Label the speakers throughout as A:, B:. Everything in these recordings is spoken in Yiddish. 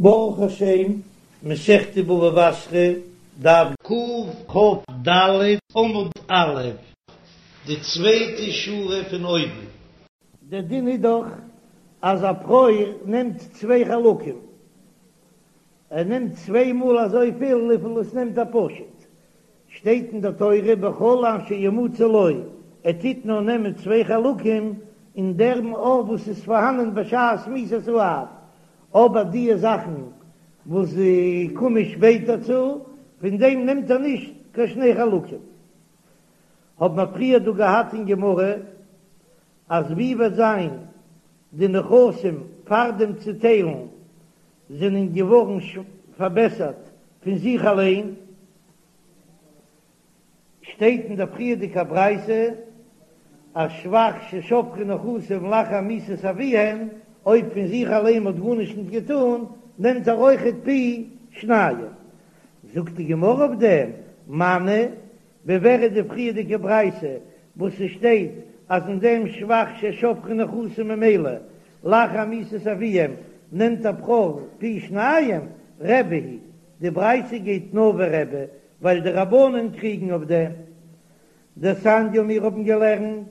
A: ברוך השם, מסכת בבא בתרא, דף קכ"ד עמוד א', די צווייטע שורה פון אויבן. דער דין איז דאך אז א בכור נעמט צוויי חלקים, ער נעמט צוויי מאל אזויפיל וויפיל עס נעמט א פשוט, שטייט אין דער תורה בכל אשר ימצא לו, ער טוט נאר נעמען צוויי חלקים אין דעם ארט וואס איז פארהאנען בשעת מיתת האב, אבער דיע זאכן וואס קומען שפעטער צו, פון דעם נעמט ער נישט קיין שני חלקים. האט מען פריער דא געהאט אין גמרא אז ווי וועט זיין די נכסים פאר דעם צוטיילן זענען געווארן פארבעסערט פון זיך אליין, שטייט אין דער פריערדיגער ברייתא אז שבח ששבחו נכסים לאחר מיתת אביהן, אויב פון זיך אליין מ'האט גארנישט נישט געטאן, נעמט ער אויכעט פי שניים. זאגט די גמרא אויף דעם, מני, ווי ווער איז די פריערדיגע ברייתא וואס ס'שטייט אז אין דעם שבח ששבחו נכסים ממילא לאחר מיתת אביהם נעמט א בכור פי שניים, רבי היא, די ברייתא גייט נאר ווי רבי ווייל די רבנן קריגן אויף דעם. דתניא מיר האבן געלערנט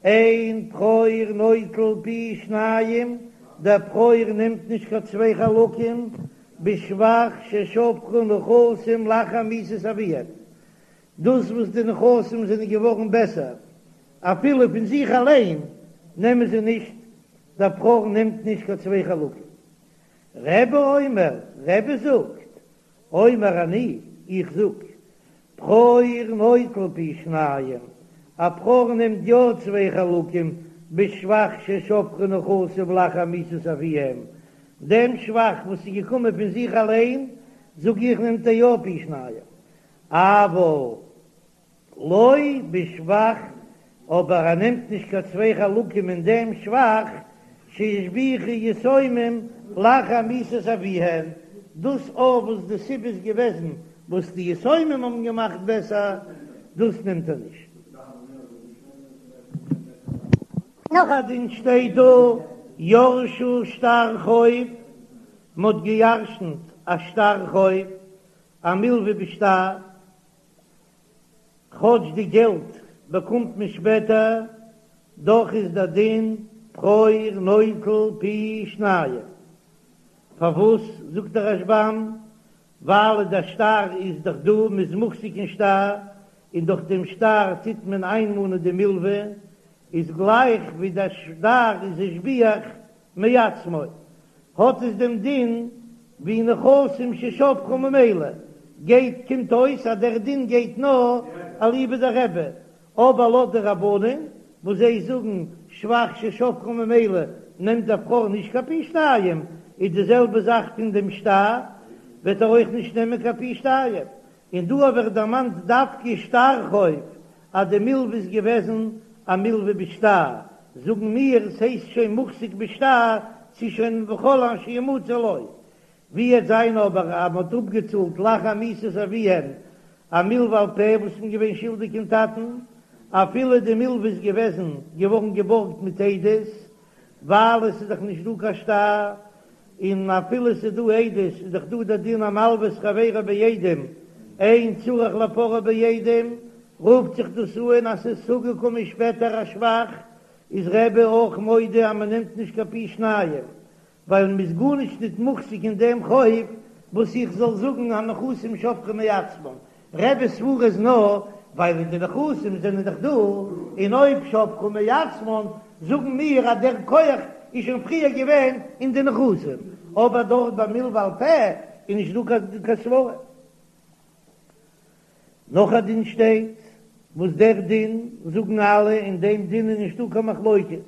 A: אין בכור נוטל פי שניים, דער בכור נעמט נישט קיין צוויי חלקים בשבח ששבחו נכסים לאחר מיתת אביהם, דאס וואס די נכסים זענען געווארן בעסער אפילו פון זיך אליין נעמען זיי נישט, דער בכור נעמט נישט קיין צוויי חלקים. רבי אומר, רבי זאגט, אומר אני, איך זאג, בכור נוטל פי שניים, א בכור נעמט יא צוויי חלקים בשבח ששבחו נכסים לאחר מיתת אביהם, דעם שבח וואס איז געקומען פון זיך אליין, זאג איך נעמט ער יא פי שניים, אבל לא בשבח, אבער ער נעמט נישט קיין צוויי חלקים אין דעם שבח שהשביחו יתומים לאחר מיתת אביהן, דאס אויף וואס די סיבה איז געוועזן וואס די יתומים האבן געמאכט בעסער, דאס נעמט ער נישט. נאך א דין שטייט דא, ירשו שטר חוב, מ'האט געירשנט א שטר חוב, א מלווה בשטר, כאטש די געלט באקומט מען שפעטער, דאך איז דער דין בכור נוטל פי שניים. פארוואס זאגט דער רשב"ם? ווייל דער שטר איז דאך דא, מ'איז מוחזק אין שטר, און דורך דעם שטר טוט מען איינמאנען די מלווה, איז גלייך ווי דער שטר איז השביח מעצמו, האט עס דעם דין ווי נכסים ששבחו ממילא, גייט קומט אויס אז דער דין גייט נאר אליבא דרבי, אבער לויט די רבנן וואס זיי זאגן שבח ששבחו ממילא נעמט דער בכור נישט קיין פי שתיים, איז די זעלבע זאך פון דעם שטר וועט ער אויך נישט נעמען קיין פי שתיים, און דא האב איך דערמאנט דווקא שטר חוב אז די מלווה איז געוועזן א מלווה בשטר, זאגן מיר ס'הייסט שוין מוחזק בשטר ס'איז שוין בכל אשר ימצא לו, ווי וועט זיין אבער אז מ'האט אפגעצאלט לאחר מיתת אביהם א מלווה על פה וואס מ'איז געווען שולדיג אין טאטן, אפילו די מלווה איז געוועזן געווארן געבארגט מיט עדות, ווייל עס איז דאך נישט דא קיין שטר, און אפילו עס איז דא עדות איז דאך דא דער דין המלווה את חברו בעדים אין צריך לפרעו בעדים, רופט זיך דאס אן אז ס'איז צוגעקומען שפעטער א שבח, איז רבי אויך מודה אז מ'נעמט נישט קיין פי שניים, ווייל מ'איז גארנישט ניט מוחזק אין דעם חוב וואס איך זאל זאגן הנכסים שובכין מעצמן, רבי'ס סברא איז נאר ווייל די נכסים זענען דאך דא, און אויב שבחו מעצמן זאגן מיר אז דער כח איז שוין פריער געווען אין די נכסים, אבער דארט ביי מלווה על פה איז נישט דא קיין סברא. נאך א דין שטייט, וואס דער דין זאגן אלע, אין דעם דין איז נישטא קיין מחלוקת,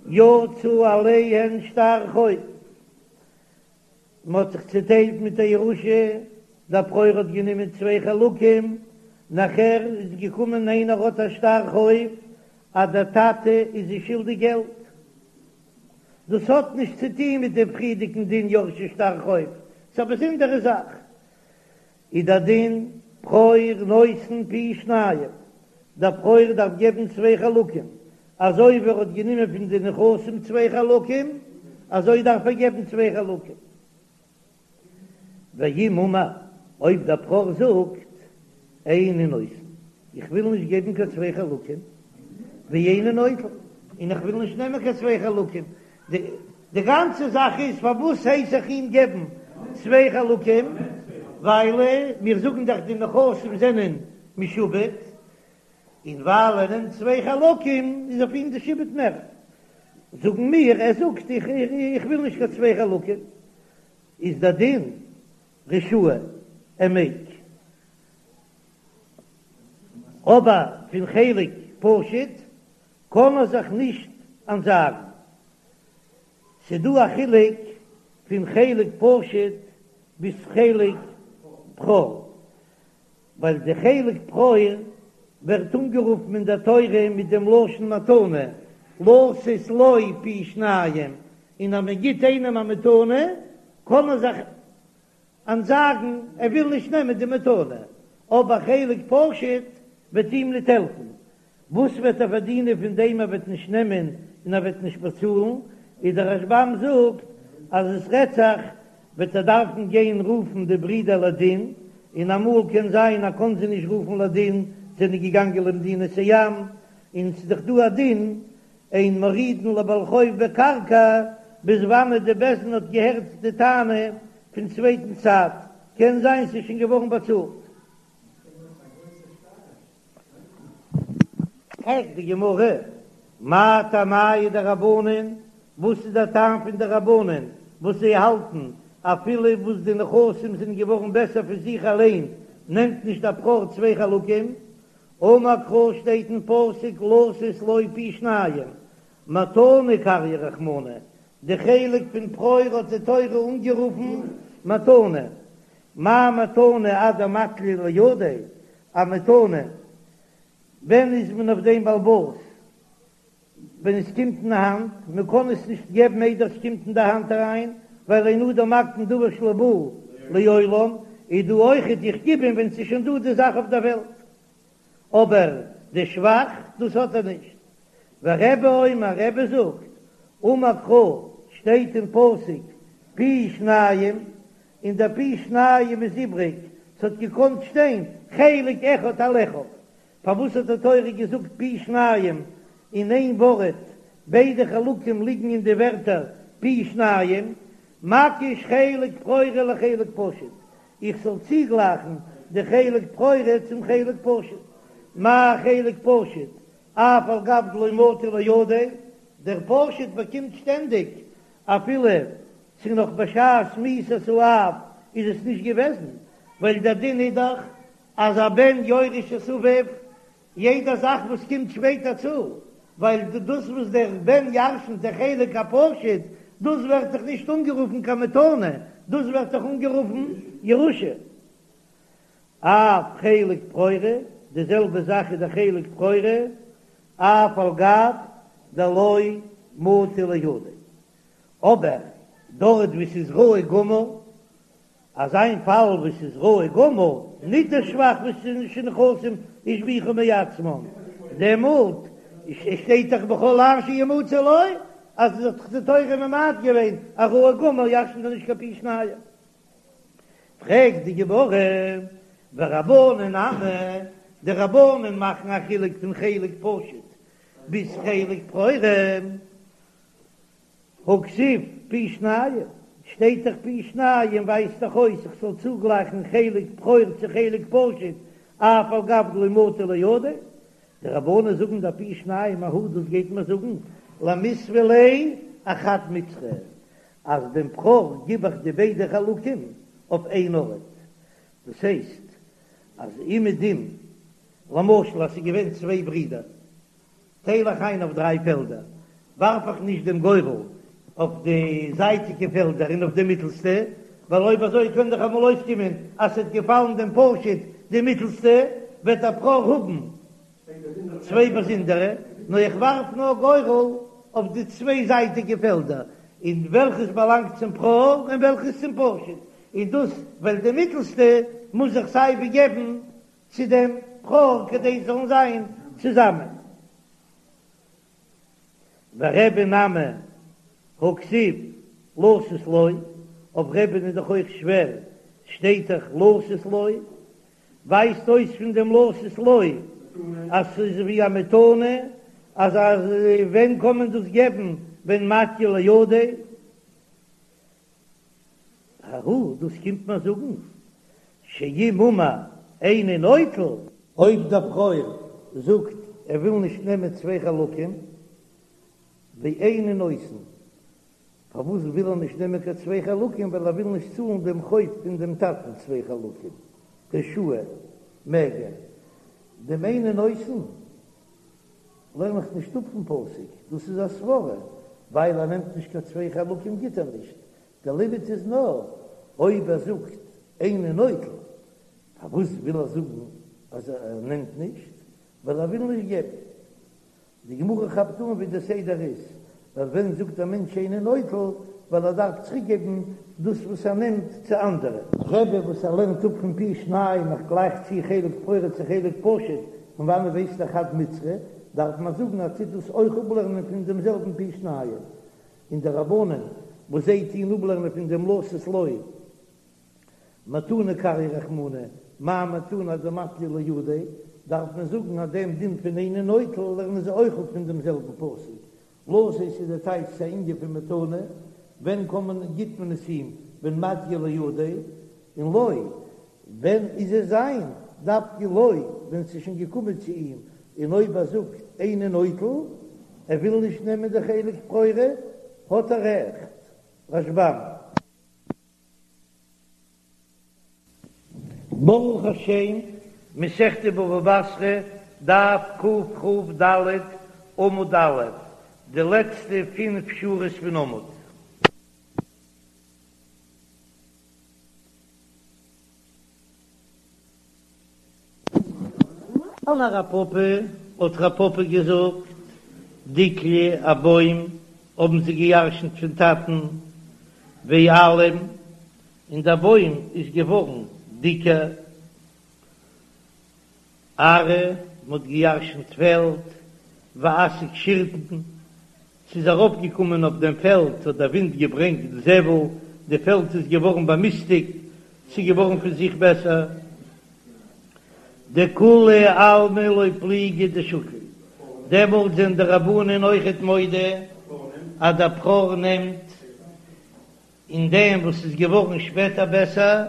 A: יצא עליהן שטר חוב, מען האט זיך צוטיילט מיט א ירושה, דער בכור האט גענומען צוויי חלקים, נאכער איז געקומען איינער האט א שטר חוב אז דער טאטע איז זיי שולדיג געלט, דאס האט נישט צו טון מיט דעם פריערדיגן דין ירשו שטר חוב, ס'איז א באזונדערע זאך, איז דער דין בכור נותן פי שניים, דער בכור דארף געבן צוויי חלקים, אזוי ווי ער האט גענומען פון די נכסים צוויי חלקים, אזוי דארף ער געבן צוויי חלקים. ואם אמר, אויב דער בכור זאגט, איני נותן, איך וויל נישט געבן קיין צוויי חלקים, ואיני נוטל, און איך וויל נישט נעמען קיין צוויי חלקים, די גאנצע זאך איז פארוואס הייס איך אים געבן צוויי חלקים, ווייל מיר זאגן דאך די נכסים זענען משועבד, און ווייל ער נעמט צוויי חלקים איז אויף אים די שעבוד מער, זאגן מיר, ער זאגט איך וויל נישט קיין צוויי חלקים, איז דער דין רשאי ער מעג, אבער פון חלק פשוט קען ער זיך נישט אנטזאגן, ס'דא א חילוק פון חלק פשוט ביז חלק בכור, ווייל די חלק בכור ווערט אנגערופן אין דער תורה מיט דעם לשון מתנה, לתת לו פי שניים, און אז מען גיט איינעם א מתנה קען ער זיך אנטזאגן, ער וויל נישט נעמען די מתנה, אבער חלק פשוט וועט אים ניט העלפן, וואס וועט ער פארדינען פון דעם ער וועט נישט נעמען און ער וועט נישט באצאלן, איז דער רשב"ם זאגט אז עס רעדט זיך וועט ער דארפן גיין רופן די ברידער לדין, און אמאל קען זיין ער קען זיי נישט רופן לדין, זענען געגאנגען למדינת הים, און ס'איז דאך דא א דין אין מורידין לבעל חוב בקרקע, ביז וואנעט די בית דין האט געהערט די טענה פון צווייטן צד, קען זיין ס'איז שוין געווארן באצאלט. פרעגט די גמרא, מאי טעמייהו דרבנן, וואס איז דער טעם פון די רבנן וואס זיי האלטן אפילו וואס די נכסים זענען געווארן בעסער פון זיך אליין נעמט נישט דער בכור צוויי חלקים, אמר קרא שטייט אין פסוק לתת לו פי שניים, מתנה קרייה רחמנא, די חלק פון בכור האט די תורה אנגערופן מתנה, מה מתנה עד דמטליא לידיה, א מתנה, ווען איז מען אויף דעם בעל הבית? ווען עס קומט אין האנט, מען קען עס נישט געבן איידער עס קומט אין די האנט אריין, ווייל אין אדם מקדים דבר שלא בא לעולם, איז דא אויכעט איך גיב אים ווען ס'איז שוין דא די זאך אויף דער וועלט, אבער די שבח דאס האט ער נישט. ורבי אומר, רבי זאגט, אמר קרא, שטייט אין פסוק פי שניים, און דער פי שניים איז איבריג, ס'האט געקאנט שטיין חלק אחד על אחיו, פארוואס האט די תורה געזאגט פי שניים אין איין ווארט, ביידע חלקים ליגן אין די ווערטער פי שניים, מקיש חלק בכורה לחלק פשוט, איך זאל צוגלייכן די חלק בכורה צום חלק פשוט, מה חלק פשוט, אף על גב דלא מטא לידיה, דער פשוט באקומט שטענדיג אפילו ס'איז נאך בשעת מיתת האב איז עס נישט געוועזן, ווייל דער דין איז דאך אז א בן יורש את אביו, יעדע זאך וואס קומט שפעטער צו, ווייל דאס וואס דער בן ירשנט דער חלק הפשוט, דאס ווערט דאך נישט אנגערופן קיין מתנה, דאס ווערט דאך אנגערופן ירושה. אף חלק בכורה, די זעלבע זאך איז דער חלק בכורה, אף על גב דלא מטא לידיה. אבער דארט וואו ס'איז ראוי גמור, אזא איין פאל וואו ס'איז ראוי גמור, ניט דער שבח וואס איז שנכסים השביחו מעצמם, דעמאלט שטייט דאך בכל אשר ימצא לו, אז עס האט דאך די תורה ממעט געווען א ראוי גמור ירשנט ער נישט קיין פי שניים. פרעגט די גמרא, ורבנן נמי, די רבנן מאכן א חילוק פון חלק פשוט ביז חלק בכורה, הכתיב פי שניים, שטייט דאך פי שניים ווייזט דאך אויס איך זאל צוגלייכן חלק בכור צו חלק פשוט אף על גב דלא מטא לידיה, די רבנן זאגן דער פי שניים ההוא דאס גייט מען זאגן למיתבא ליה אחד מצרא אז דעם בכור גיב איך די ביידע חלקים אויף איין ארט, דאס הייסט אז אומעדום למשל אז ס'איז געווען צוויי ברידער טייל איך איין אויף דריי פעלדער, ווארף איך נישט דעם גורל אויף די זייטיגע פעלדער און אויף די מיטלסטע, ווייל אויב אזוי קען דאך אמאל אויסקומען אז ס'וועט געפאלן דעם פשוט די מיטלסטע, וועט דער בכור האבן צוויי באזונדערע, נאר איך ווארף נאר גורל אויף די צוויי זייטיגע פעלדער, און וועלכעס באלאנגט צום בכור און וועלכעס צום פשוט, און דאס ווייל די מיטלסטע מוז איך סיי ווי געבן צו דעם בכור כדי זיי זאלן זיין צוזאמען. ורבי נמי הכתיב לתת לו, אויף רבי'ן איז דאך אויך שווער, שטייט דאך לתת לו, ווייזט אויס פון דעם לתת לו אז ס'איז ווי א מתנה, אז אז ווען קען מען דאס געבן ווען מטיא לידיה? ההוא, דאס קומט מיר זאגן שאם אמר איני נוטל. אויב דער בכור זאגט ער וויל נישט נעמען צוויי חלקים, ואיני נותן, פארוואס וויל ער נישט נעמען קיין צוויי חלקים, ווייל ער וויל נישט צאלן דעם חוב פון דעם טאטן צוויי חלקים, רשאי, מעג ער. דעם איני נותן לערן איך נישט אפ פון פסוק, דאס איז א סברא, ווייל ער נעמט נישט קיין צוויי חלקים גיט ער נישט, דער לימוד איז נאר אויב ער זאגט איני נוטל, פארוואס וויל ער זאגן אז ער נעמט נישט? ווייל ער וויל נישט געבן. די גמרא כאפט אן ווי די סדר איז, ווייל ווען זאגט א מענטש איני נוטל, ווייל ער דארף צוריק געבן דאס וואס ער נעמט צו אנדערע. רבי וואס ער לערנט אפ פון פי שניים איך גלייך צו חלק בכורה צו חלק פשוט, פון וואנעט ווייסט ער חד מצרא, דארף מען זאגן אז טוט דאס אויך אפלערנען פון דעם זעלבן פי שניים, און די רבנן וואס זיי טוהן אפלערנען פון דעם לתת לו מתנה קרייה רחמנא, מה מתנה דמטיא לידיה, דארף מען זאגן אז דעם דין פון איני נוטל לערנען זיי אויך אפ פון דעם זעלבן פסוק, לתת איז די טייטש ס'איז א ענין פון מתנה, ווען קען מען גיט מען עס אים ווען מטיא לידיה, און לו, ווען איז עס זיין, דווקא לו ווען ס'איז שוין געקומען צו אים, און אויב ער זאגט איני נוטל, ער וויל נישט נעמען די חלק בכורה, האט ער רעכט. רשב"ם. ברוך השם, מסכת בבא בתרא, דף קכ"ד, עמוד א', די לעצטע פינף שורות פון עמוד. אמר רב פפא, האט רב פפא געזאגט, דיקלא א בוים האבן זיי געירשנט פון טאטן, ואלים, און דער בוים איז געווארן דיקער, ארעא, מ'האט געירשנט פעלד, ואסיק שירטון, ס'איז ארויפגעקומען אויף דעם פעלד, האט דער ווינט געברענגט זבל, די פעלד איז געווארן באמיסטיגט, ס'איז געווארן פון זיך בעסער. דכולי עלמא לא פליגי דשקיל, דעמאלט זענען די רבנן אויכעט מודה אז דער בכור נעמט אין דעם וואס איז געווארן שפעטער בעסער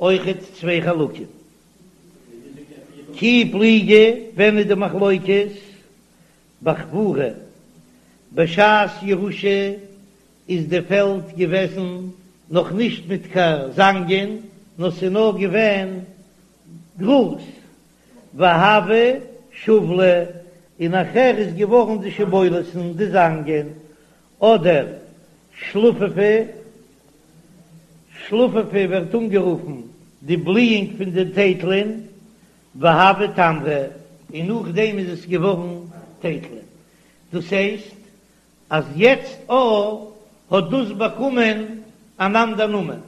A: אויכעט צוויי חלקים. כי פליגי, ווען איז די מחלוקת? בחבורה, בשעת ירושה איז די פעלד געוועזן נאך נישט מיט קיין זאנגען, נאר ס'איז נאר געווען גראז, והוה שיבלי, און נאכער איז געווארן די שיבולת'ן, די זאנגען, אדער שלפופי, שלפופי ווערט אנגערופן די בליאונג פון די טייטלען, והוו תמרי, און נאכדעם איז עס געווארן טייטלען. דאס הייסט אז יעצט א האט דאס באקומען אן אנדער נאמען.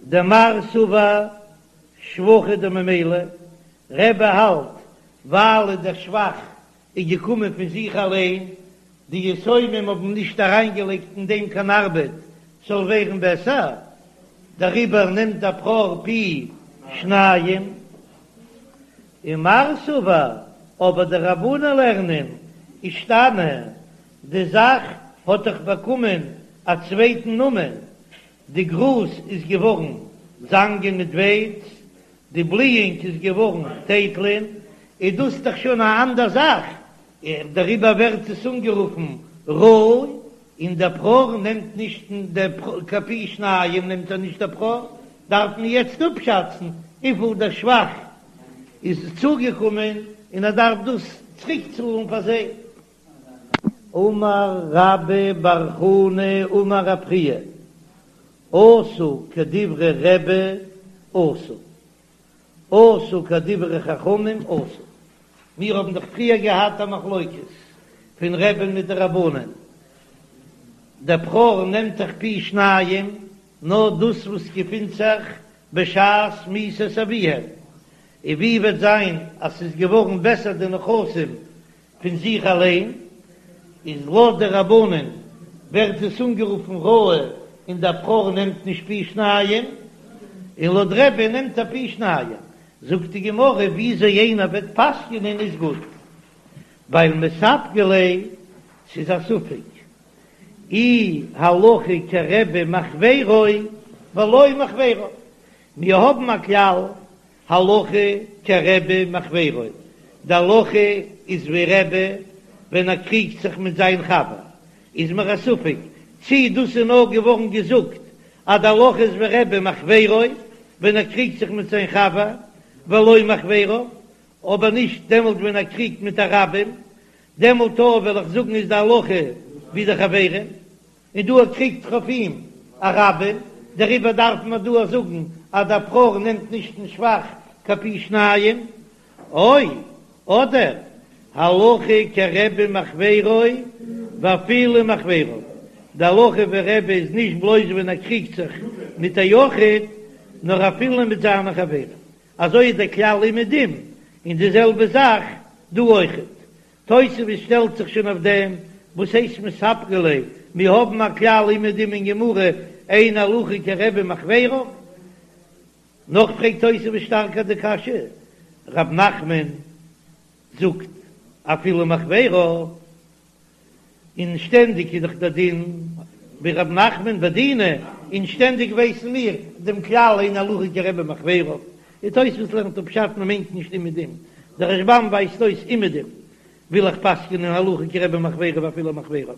A: דמר סבר שבחא דממילא, רבי האלט ווייל דער שבח איז געקומען פון זיך אליין, די יתומים האבן נישט אריינגעלייגט אין דעם קיין ארבעט ס'זאל ווערן בעסער, דעריבער נעמט דער בכור פי שניים. ומר סבר, אבער די רבנן לערנען אישתני, די זאך האט דאך באקומען א צווייטן נאמען, די גראז איז געווארן זאנגען מיט ווייץ, די בליאונג איז געווארן טייטלען, איז דאס דאך שוין א אנדער זאך, דעריבער ווערט עס אנגערופן ראוי, און דער בכור נעמט נישט קיין פי שניים נעמט ער נישט דער בכור, דארף מען יעצט אפשאצן וויפיל דער שבח איז צוגעקומען און ער דארף דאס צוריק צאלן פאר זיי. אמר רבה בר חנה אמר רב חייא, עשו כדברי רבי אסור, עשו כדברי חכמים אסור. מיר האבן דאך פריער געהאט א מחלוקת פון רבי'ן מיט די רבנן, דער בכור נעמט דאך פי שניים, נאר דאס וואס געפינט זיך בשעת מיתת אביהם, און ווי וועט זיין אז ס'איז געווארן בעסער די נכסים פון זיך אליין, איז לויט די רבנן ווערט עס אנגערופן ראוי. און דער בכור נעמט נישט פי שניים, און לויט רבי נעמט ער פי שניים. זאגט די גמרא וויאזוי איינער וועט פסק'נען איז גוט, ווייל מספקא ליה, ס'איז א ספק אי הלכה כרבי מחבירו ולא מחבירו, מיר האבן א כלל הלכה כרבי מחבירו, די הלכה איז ווי רבי ווען ער קריגט זיך מיט זיין חבר, איז מיר א ספק צי דאס איז נאר געווארן געזאגט אז די הלכה איז ווי רבי מחבירו ווען ער קריגט זיך מיט זיין חבר, ולא מחבריו, אבער נישט דעמאלט ווען ער קריגט מיט א רבים, דעמאלט אויך וועל איך זאגן איז די הלכה ווי די חברים, און דא קריגט זיך אויף אים א רבים, דעריבער דארף מען דא זאגן אז דער בכור נעמט נישט אין שבח קיין פי שניים, או אדער הלכה כרבי מחבירו ואפילו מחבריו, די הלכה ווי רבי איז נישט בלויז ווען ער קריגט זיך מיט א יחיד, נאר אפילו מיט זיינע חברים, אזוי איז דער כלל אומעדום, און די זעלבע זאך דא אויכעט. תוספות שטעלט זיך שוין אויף דעם, וואס הייסט מספקא ליה, מיר האבן א כלל אומעדום אין גמרא, אין הלכה כרבי מחבירו. נאך פרעגט תוספות שטארקער די קשיא, רב נחמן זאגט אפילו מחבירו, און שטענדיג איז דאך דער דין ווי רב נחמן בדינא, און שטענדיג ווייסן מיר דעם כלל אין הלכה כרבי מחבירו, און תוספות לערנט אפ פשט מען מיינט נישט אומעדום, דער רשב"ם ווייזט אויס אומעדום וויל איך פסק'נען הלכה כרבי מחבירו ואפילו מחבירו.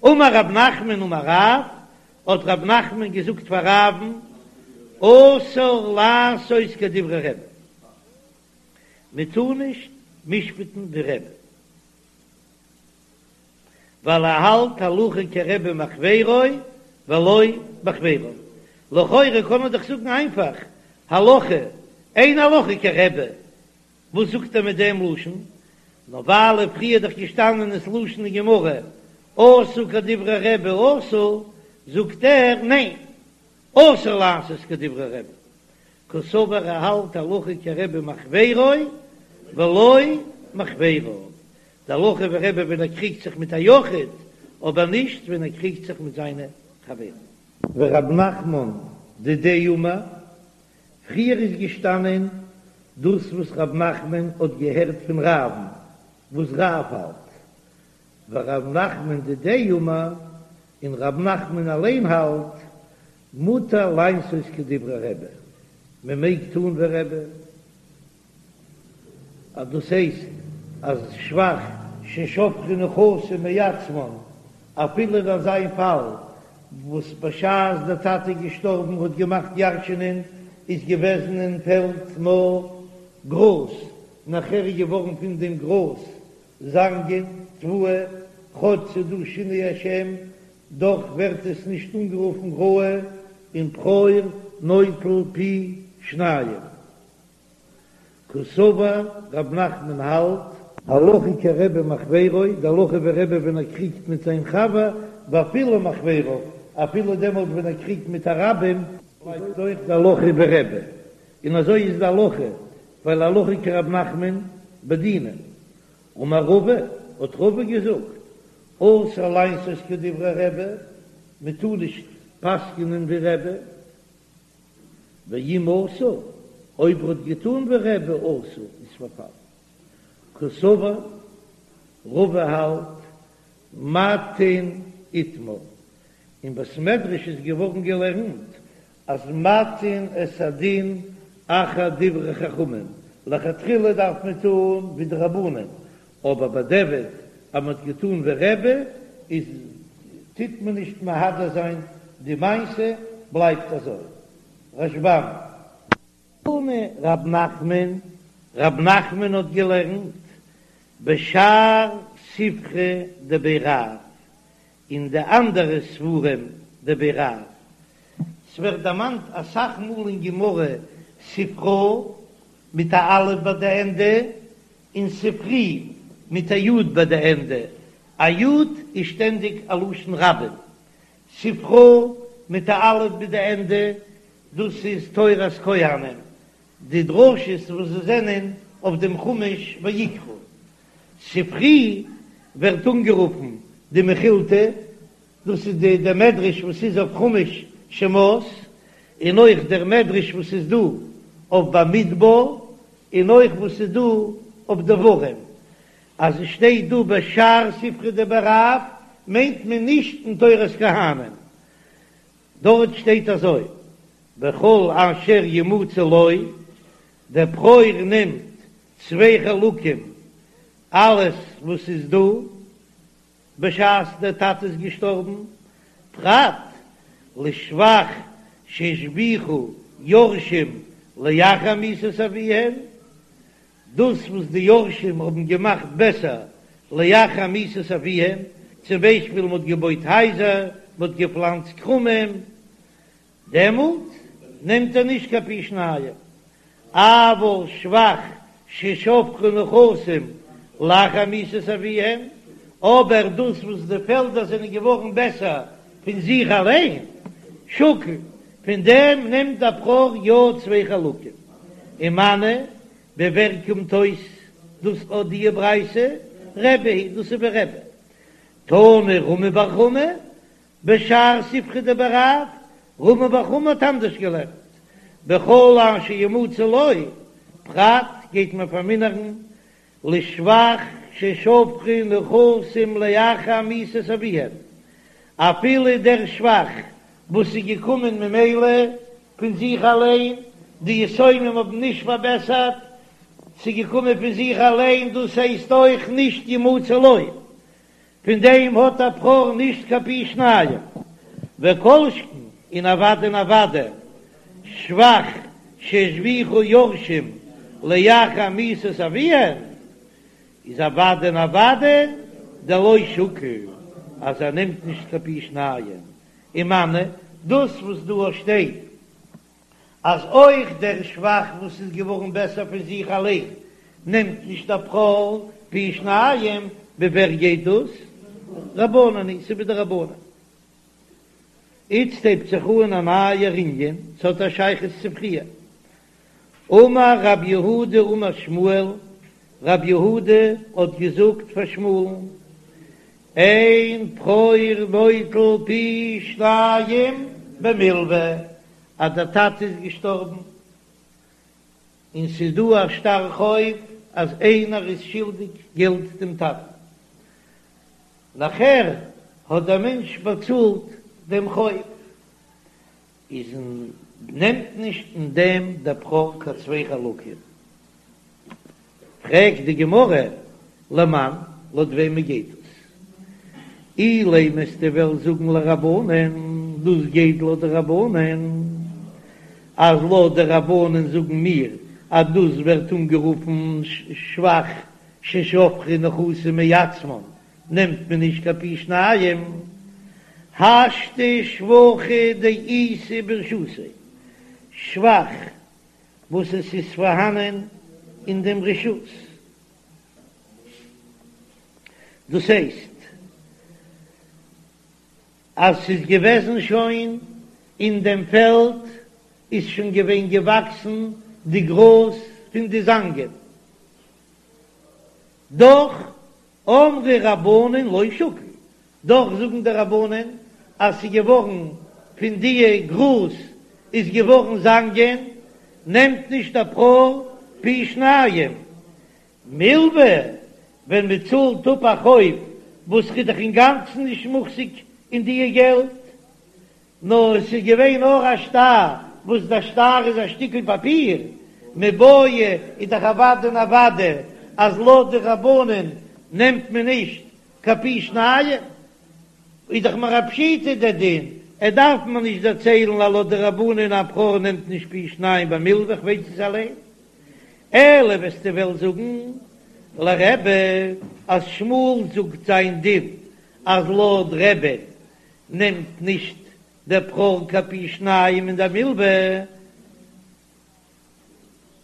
A: אמר רב נחמן אמר רב, האט רב נחמן געזאגט פאר רב'ן, אסור לעשות כדברי רבי, מען טאר נישט משפט'ן ווי רבי. ווייל ער האלט הלכה כרבי מחבירו ולא מחבירו. לכאורה קען מען דאך זאגן איינפאך, הלכה, אין הלכה כרבי, וואס זאגט ער מיט דעם לשון? נאר ווייל פריער איז דאך געשטאנען דאס לשון אין גמרא עשו כדברי רבי אסור, זאגט ער ניין, אסור לעשות כדברי רבי, קסבר ער האלט הלכה כרבי מחבירו ולא מחבריו, די הלכה ווי רבי ווען ער קריגט זיך מיט א יחיד, אבער נישט ווען ער קריגט זיך מיט זיינע חברים. ורב נחמן דידיה אמר, פריער איז געשטאנען דאס וואס רב נחמן האט געהערט פון רב'ן וואס רב האלט, ורב נחמן דידיה אמר, און רב נחמן אליין האלט, מותר לעשות כדברי רבי, מען מעג טון ווי רבי, אז דאס הייסט אז שבח ששבחו נכסים מעצמן, אפילו אין אזא פאל וואס בשעת דער טאטע איז געשטארבן האט געמאכט ירש'ענען איז געוועזן אין פעלד נאר גראז, נאכער איז געווארן פון דעם גראז זאנגען, תבואה, כאטש ס'איז דא שינוי השם, דאך ווערט עס נישט אנגערופן ראוי און בכור נוטל פי שניים. קסבר רב נחמן האלט. הלכה כרבי מחבירו, די הלכה ווי רבי ווען ער קריגט מיט זיין חבר, ואפילו מחבריו, אפילו דעמאלט ווען ער קריגט מיט א רבים, בלייבט אויך די הלכה ווי רבי, און אזוי איז די הלכה, ווייל הלכה כרב נחמן בדינא. אמר רבא, האט רבא געזאגט, אסור לעשות כדברי רבי, מען טאר נישט פסק'נען ווי רבי, ואם עשה, אויב ער האט געטאן ווי רבי אסור, איז פארפאלן. קסבר, רבא האלט, מטין איתמר, אין בית מדרש איז געווארן געלערנט אז מטין את הדין אחר דברי חכמים, לכתחילה דארף מען טון ווי די רבנן, אבער בדיעבד אז מען האט געטון ווי רבי איז טוט מען נישט מהדר זיין די מעשה בלייבט אזוי. רשב"ם. תנא רב נחמן, רב נחמן האט געלערנט בשאר ספרי דבי רב, אין די אנדערע ספרים דבי רב, ס'ווערט דערמאנט אסאך מאל אין גמרא ספרא מיט א אלף ביי די ענדע, און ספרי מיט א יוד ביי די ענדע, א יוד איז שטענדיג א לשון רבים, ספרא מיט א אלף ביי די ענדע, דאס איז תורת כהנים, די דרשות וואס זיי זענען אויף דעם חומש ויקרא. ספרי ווערט אנגערופן די מכילתא. דאס איז די דער מדרש וואס איז אויף חומש שמות, און אויך דער מדרש וואס איז דא אויף במדבר, און אויך וואס איז דא אויף דברים. אז עס שטייט דא בשאר ספרי דבי רב מיינט מען נישט אין תורת כהנים, דארט שטייט אזוי בכל אשר ימצא לו, דער בכור נעמט צוויי חלקים אלעס וואס איז דא בשעת דער טאטע איז געשטארבן, פרט לשבח שהשביחו יורשים לאחר מיתת אביהם, דאס וואס די יורשים האבן געמאכט בעסער לאחר מיתת אביהם, צום ביישפיל מ'האט געבויט הייזער, מ'האט געפלאנצט כרמים, דעמאלט נעמט ער נישט קיין פי שניים, אבל שבח ששבחו נכסים לאחר מיתת אביהם, אבער דאס וואס די פעלדער זענען געווארן בעסער פון זיך אליין, שקיל, פון דעם נעמט דער בכור יא צוויי חלקים, ומני, ווי ווער קומט אויס דאס אט די ברייתא? רבי היא, דאס איז ווי רבי. תנא רמי בר חמא, בשאר ספרי דבי רב, רמי בר חמא האט אנדערש געלערנט, בכל אשר ימצא לו, פרט גייט מען פארמינערן לשבח ששבחו נכסים לאחר מיתת אביהם, אפילו דער שבח וואס איז געקומען ממילא פון זיך אליין, די יתומים האבן נישט פארבעסערט, ס'איז געקומען פון זיך אליין, דאס הייסט אויך נישט ימצא לו, פון דעם האט דער בכור נישט קיין פי שניים, וכל שכן און אוודאי און אוודאי שבח שהשביחו יורשים לאחר מיתת אביהם, איז אוודאי און אוודאי דלא שקיל אז ער נעמט נישט קיין פי שניים, ומני דאס וואס דא שטייט אז אויך דער שבח וואס איז געווארן בעסער פון זיך אליין נעמט נישט דער בכור פי שניים, ווי ווער גייט דאס? רבנן היא, ס'איז ווי די רבנן. איצט הייבט זיך אן א נייער ענין, ס'האט א שייכות צו פריער. אמר רב יהודה אמר שמואל, רב יהודה האט געזאגט פאר שמואל'ן, אין בכור נוטל פי שניים במלוה, אז דער טאטע איז געשטארבן און ס'איז דא א שטר חוב אז איינער איז שולדיג געלט דעם טאטן, נאכער האט דער מענטש באצאלט דעם חוב, איז נעמט נישט אין דעם דער בכור קיין צוויי חלקים. פרעגט די גמרא, למאן, לויט וועמען גייט דאס? אילימא וועסטו וועלן זאגן לרבנן, דאס גייט לויט די רבנן, אז לויט די רבנן זאגן מיר אז דאס ווערט אנגערופן שבח ששבחו נכסים מעצמן, נעמט מען נישט קיין פי שניים, השתא שבחא דאיתא ברשותיה, שבח וואס עס איז פארהאנען אין דעם רשות, דאס הייסט אז ס'איז געוועזן שוין אין דעם פעלד איז שוין געווען געוואקסן די גראז פון די זאנגען, דאך אמרי רבנן לא שקיל, דאך זאגן די רבנן אז ס'איז געווארן פון דיע גראז איז געווארן זאנגען, נעמט נישט דער בכור פי שניים מלוה, ווען מען צאלט אפ א חוב וואס איז דאך אינגאנצן נישט מוחזק אין דיע געלט, נאר עס איז געווען נאר א שטר, וואס דער שטר איז א שטיקל פאפיר, מיבעיא איז דאך אוודאי און אוודאי אז לויט די רבנן נעמט מען נישט קיין פי שניים, איז דאך מיר א פשיטא דער דין, ער דארף מיר נישט דערציילן אז לויט די רבנן א בכור נעמט נישט פי שניים במלוה, איך ווייס עס אליין. אלא וועסטו וועלן זאגן לרבי אז שמואל זאגט זיין דין אז לויט רבי נעמט נישט דער בכור קיין פי שניים אין דער מלוה,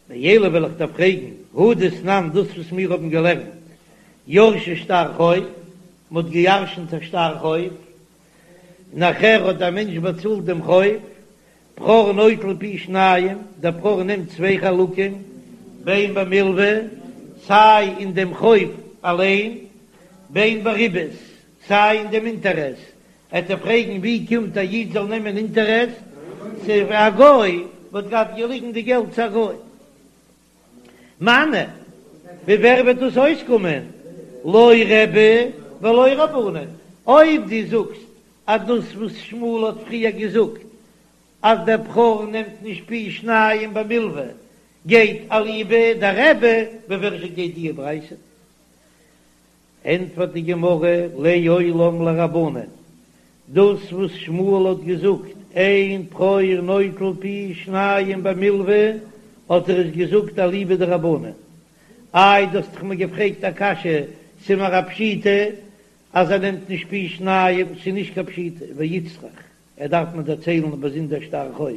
A: ואלא וועל איך דיר פרעגן, הא דתנן דאס וואס מיר האבן געלערנט, ירשו שטר חוב, מען האט געירשנט א שטר חוב, נאכער האט דער מענטש באצאלט דעם חוב, בכור נוטל פי שניים, דער בכור נעמט צוויי חלקים, בין במלוה, סיי אין דעם חוב אליין, בין בריבית, סיי אין דעם אינטערעס. עט ער פרעגן ווי קומט א איד זאל נעמען אינטערעסט, צו א גוי וואלט געהאט געליגן די געלט צו א גוי. מני, ווי ווער וועט דאס אויסקומען? לא רבי ולא רבנן. אויב דו זאגסט אז דאס וואס שמואל האט פריער געזאגט אז דער בכור נעמט נישט פי שניים במלוה גייט אליבא דרבי, ווי ווער זשע גייט די ברייתא? ענטפערט די גמרא, לעולם לרבנן, דאס וואס שמואל האט געזאגט אין בכור נוטל פי שניים במלוה האט ער עס געזאגט אליבא דרבנן. איי דו האסט דאך מיר געפרעגט א קשיא, ס'איז מיר א פשיטא אז ער נעמט נישט פי שניים, ס'איז נישט קיין פשיטא, ואיצטריך, ער דארף מיר דערציילן א באזונדער שטר חוב,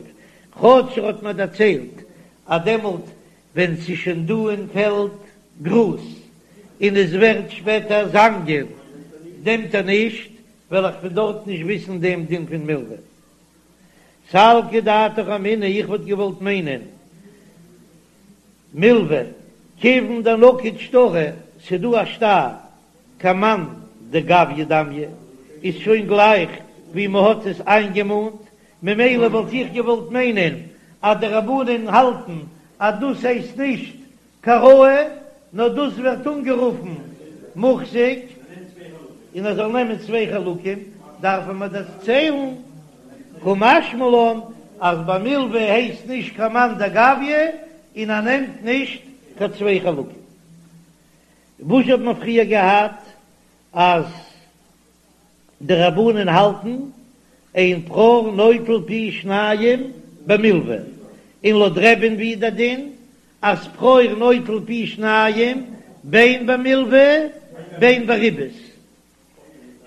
A: כאטש ער האט מיר דערציילט אז דעמאלט ווען ס'איז שוין דא אין פעלד גראז און עס ווערט שפעטער זאנגען נעמט ער נישט, וועל איך פון דארט נישט וויסן דעם דין פון מלוה. סלקא דעתך אמינא, איך וואלט געוואלט מיינען מלוה כיוון דנקיט שטרא, ס'דא א שטר כמאן דגביא דמיא, איז שוין גלייך ווי מ'האט עס איינגעמאנט, ממילא וואלט איך געוואלט מיינען אז די רבנן האלטן אז דאס הייסט נישט קיין ראוי, נאר דאס ווערט אנגערופן מוחזק, און ער זאל נעמען צוויי חלקים, דארפן מיר דערציילן קא משמע לן אז ביי מלוה הייסט נישט כמאן דגביא און ער נעמט נישט קיין צוויי חלקים. וואס האט מען פריער געהאט אז די רבנן האלטן אין בכור נוטל פי שניים במלוה, און לויט רבי'ן ווי איז דער דין אז בכור נוטל פי שניים בין במלוה בין בריבית?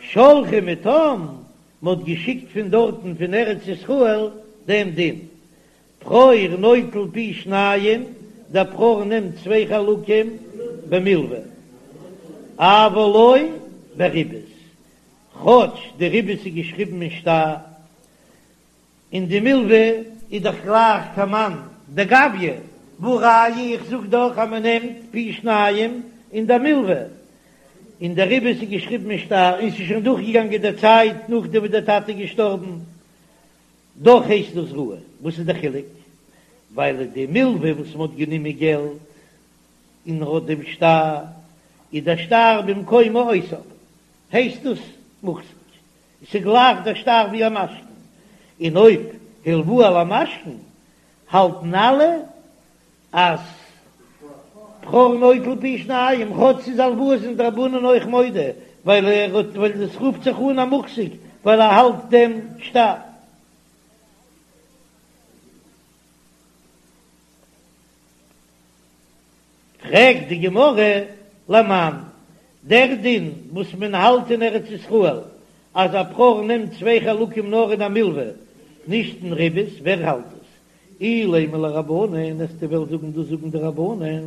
A: שלחו מתם, מ'האט געשיקט פון דארטן פון ארץ ישראל דעם דין, בכור נוטל פי שניים, דער בכור נעמט צוויי חלקים במלוה, אבל לא בריבית, כאטש די ריבית איז געשריבן אין שטר, און די מלוה איז דאך גלייך כמאן דגביא, והא ראיה איך זאג דאך אז מען נעמט פי שניים אין די מלוה, און די ריבית איז געשריבן אין שטר, און ס'איז שוין דורכגעגאנגען די צייט נאכדעם וואס דער טאטע איז געשטארבן. דאך הייסט דאס ראוי. וואס איז די חילוק? ווייל די מלוה וואס מ'האט גענומען געלט און ער האט דעם שטר, איז דער שטר במקום מעותיו, הייסט דאס מוחזק, עס איז גלייך דער שטר ווי א משכון, און אויב הלוה למשכון האלטן אלע אז בכור נוטל פי שניים, כאטש ס'איז הלוואה זענען די רבנן אויך מודה, ווייל ער האט ווייל עס רופט זיך אן א מוחזק ווייל ער האלט דעם שטר. פרעגט די גמרא, למאן, דער דין וואס מען האלט אין ארץ ישראל אז א בכור נעמט צוויי חלקים נאר אין א מלווה, נישט אין ריבית, ווער האלט עס? אילימא לרבנן, וועסטו וועלן זאגן דאס זאגן די רבנן,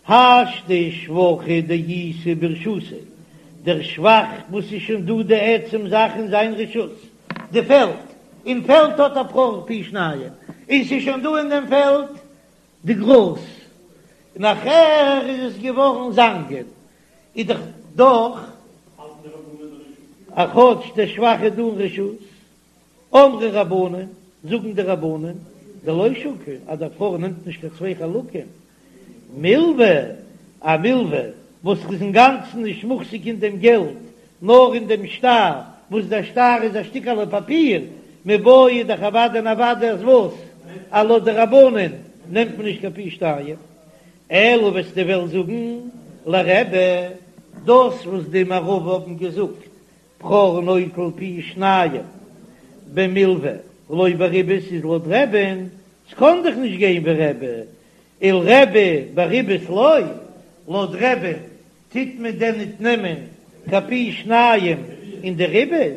A: השתא שבחא דאיתא ברשותיה, דער שבח וואס איז שוין דא די עצם זאך אין זיין רשות, די פעלד, אין פעלד האט א בכור פי שניים, און ס'איז שוין דא אין דעם פעלד די גראז, נאכער איז עס געווארן זאנגען, איז דאך דאך א כאטש דער שבח איז דא אין רשות. אמרי רבנן, זאגן די רבנן, דלא שקיל, אז דער בכור נעמט נישט קיין צוויי חלקים, מלווה, א מלווה וואס איז אינגאנצן נישט מוחזק אין דעם געלט, נאר אין דעם שטר, וואס דער שטר איז א שטיקעלע פאפיר, מיבעיא איז דאך אוודאי און אוודאי אז וואס? אז לויט די רבנן נעמט מען נישט קיין פי שתיים. אלא וועסטו וועלן זאגן לרבי, דאס וואס די מערבא האבן געזאגט בכור נוטל פי שניים במלוה ולא בריבית איז לויט רבי'ן, ס'קאן דאך נישט גיין ווי רבי, ולרבי בריבית לא, לויט רבי'ן טוט מען דען ניט נעמען קיין פי שניים אין די ריבית?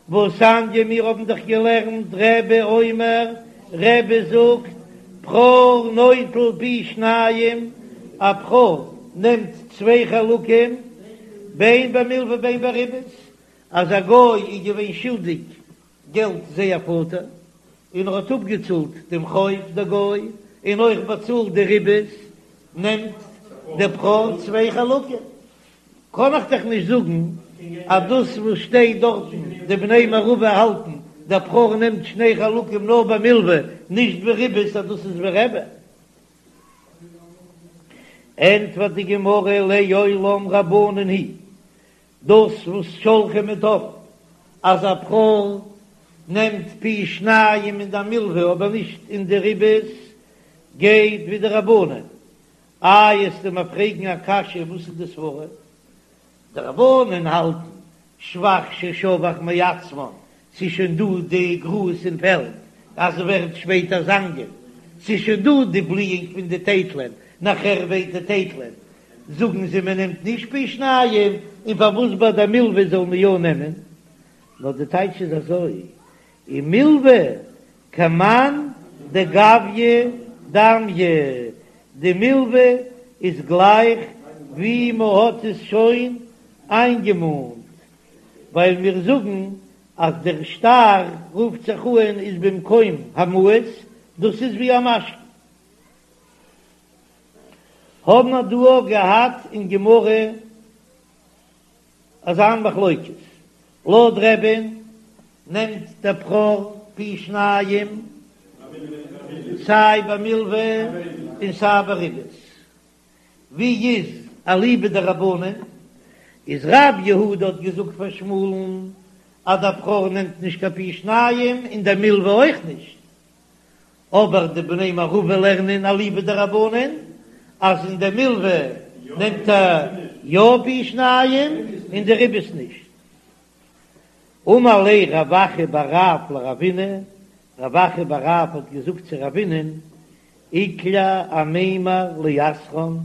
A: והתניא מיר האבן דאך געלערנט רבי אומר, רבי זאגט, בכור נוטל פי שניים, א בכור נעמט צוויי חלקים, בין במלוה בין בריבית, אז א גוי איז געווען שולדיג געלט זייער פאטער, און ער האט אפגעצאלט דעם חוב דער גוי, און אויך באצאלט די ריבית, נעמט דער בכור צוויי חלקים. קען איך דאך נישט זאגן. אז דאס וואס שטייט דארטן די בני מערבא האלטן דער בכור נעמט שני חלקים נאר ביי מלוה נישט בריבית אז דאס איז ווי רבי. ענטפערט די גמרא לעולם רבנן היא דאס וואס שלחו מתם אז א בכור נעמט פי שניים אין די מלוה אבער נישט אין די ריבית גייט ווי די רבנן. איי עסטו מיר פרעגן א קשיא וואס איז די סברה? די רבנן האלטן שבח ששבח מעצמן, ס'איז שוין דא די גראז אין פעלד אז ס'ווערט שפעטער זאנגען, ס'איז שוין דא די בליאונג פון די טייטלען, נאכער ווערט די טייטלען, זאגן זיי מען נעמט נישט פי שניים, און פארוואס ביי די מלוה זאל מען יא נעמען? נאר די טייטש איז אזוי, ומלוה כמאן דגביא דמיא, די מלוה איז גלייך ווי מען האט עס שוין איינגעמאנט, ווייל מיר זאגן אז דער שטר רופט זיך אן איז במקום המעות, דאס איז ווי א משכון. האבן מיר דא אויך געהאט אין גמרא אזא מחלוקת, לויט רבי'ן נעמט דער בכור פי שניים סיי ביי מלוה און סיי ביי ריבית, ווי איז אליבא דרבנן? איז רב יהודה האט געזאגט פאר שמואל'ן אז דער בכור נעמט נישט קיין פי שניים און דער מלוה אויך נישט, אבער די בני מערבא לערנען אליבא דרבנן אז אין די מלוה נעמט ער יא פי שניים און די ריבית נישט. אמר ליה רב אחא בר רב לרבינא, רב אחא בר רב האט געזאגט צו רבינא'ן, איקלע אמימר לאתרן,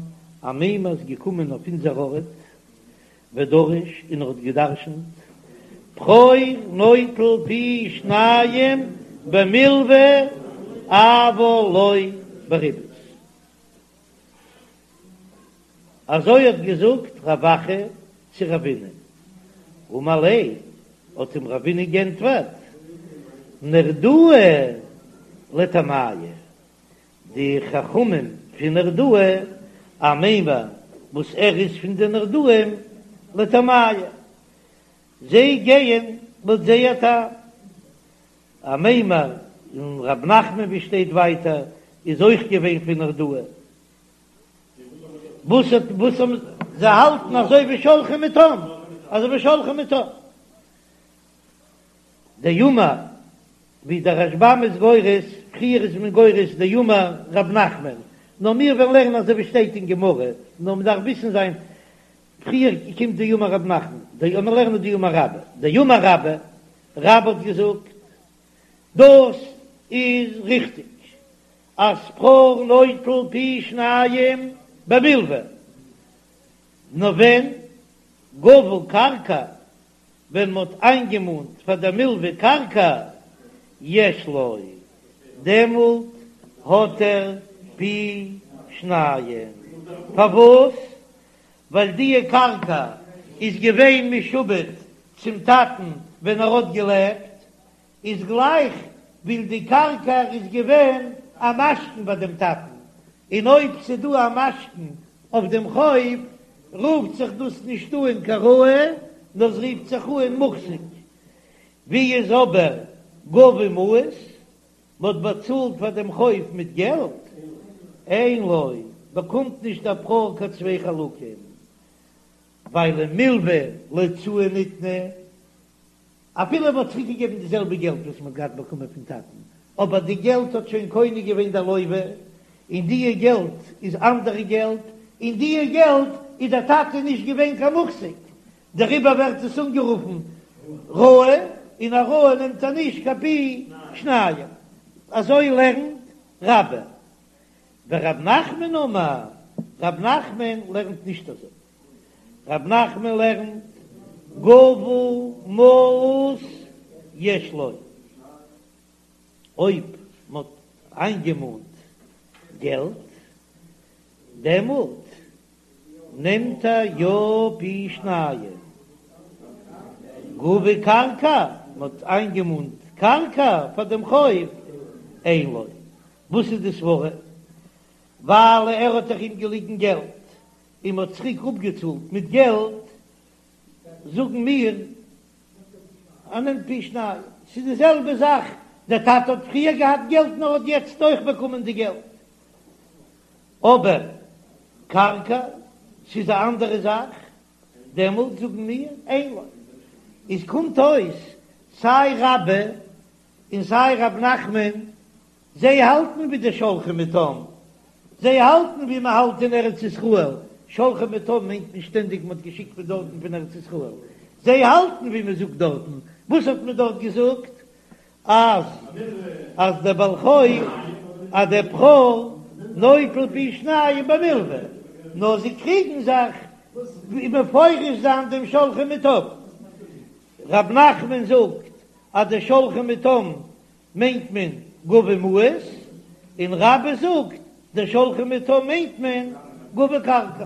A: אמימר איז געקומען אויף אונזער ארט, ודרש און ער האט געדרשנט, בכור נוטל פי שניים במלוה אבל לא בריבית. אזוי האט געזאגט רב אחא צו רבינא. אמר ליה, האט אים רבינא גענטפערט, נהרדעי לטעמייהו, די חכמים פון נהרדעא, אמימר וואס ער איז פון די נהרדעים, לטעמייהו, זיי גייען לויט זייער טעם. אמימר און רב נחמן ווי שטייט ווייטער איז אויך געווען פון נהרדעא. וואס האט וואס האבן זיי האלטן אזוי ווי שלחו מתם, אזוי ווי שלחו מתם. דאמר ווי דער רשב"ם איז גורס, פריער איז מען גורס דאמר רב נחמן, נאר מיר וועלן לערנען אזוי ווי שטייט אין גמרא, נאר מען דארף וויסן זיין, פריער קומט דאמר רב נחמן, דאמר לערנען דאמר רבה, דאמר רבה, רבה האט געזאגט, דאס איז ריכטיג אז בכור נוטל פי שניים במלוה, נאר ווען גבו קרקע ווען מ'האט איינגעמאנט פאר דער מלוה קרקע יש לו, דעמאלט האט ער פי שניים. פארוואס? ווייל דיע קרקע איז געווען משועבד צום טאטן ווען ער האט געלעבט, איז גלייך ווי די קרקע איז געווען א משכון ביי דעם טאטן, און אויב ס'דא א משכון אויף דעם חוב, רופט זיך דאס נישט אן קיין ראוי, נאר ס'רופט זיך אן מוחזק. ווי איז אבער גבו מעות, מ'האט באצאלט פאר דעם חוב מיט געלט, אין לו, באקומט נישט דער בכור קיין צוויי חלקים, ווייל ומלוה להוצאה ניתנה, אפילו מען האט צוריק געגעבן די זעלבע געלט וואס מען האט געהאט באקומען פון טאטן, אבער די געלט האט שוין קונה געווען דער לוה, און דיע געלט איז אנדערע געלט, און דיע געלט איז דער טאטע נישט געווען קיין מוחזק, דעריבער ווערט עס אנגערופן ראוי, און א ראוי נעמט ער נישט קיין פי שניים. אזוי לערנט רבה. ורב נחמן אמר, רב נחמן לערנט נישט אזוי. רב נחמן לערנט גבו מעות יש לו, אויב מ'האט איינגעמאנט געלט דעמאלט נעמט ער יא פי שניים, גבו קרקע, מ'האט איינגעמאנט קרקע פאר דעם חוב, אין לו, וואס איז די סברה? ווייל ער האט דאך אים געליגן געלט, און מ'האט צוריק אפגעצאלט מיט געלט. זאגן מיר ער נעמט פי שניים, ס'איז די זעלבע זאך, דער טאטע האט פריער געהאט געלט און ער האט יעצט אויך באקומען די געלט, אבער קרקע ס'איז א אנדערע זאך, דעמאלט זאגן מיר אין לו. איז קומט אויס סיי רבה און סיי רב נחמן זיי האלטן ווי די שולחים מתם, זיי האלטן ווי מען האלט אין ארץ ישראל, שולחים מתם מיינט נישט שטענדיג מען האט געשיקט פון דארטן פון ארץ ישראל, זיי האלטן ווי מען זאגט דארטן, וואס האט מען דארט געזאגט? אז אז דער בעל חוב אז דער בכור נוטל פי שניים במלוה, נאר זיי קריגן זיך ווי מפרש זיין דעם שולחים מתם. רב נחמן זאגט אז די שולחים מתם מיינט מען גובה מעות, און רבה זאגט די שולחים מתם מיינט מען גובה קרקע.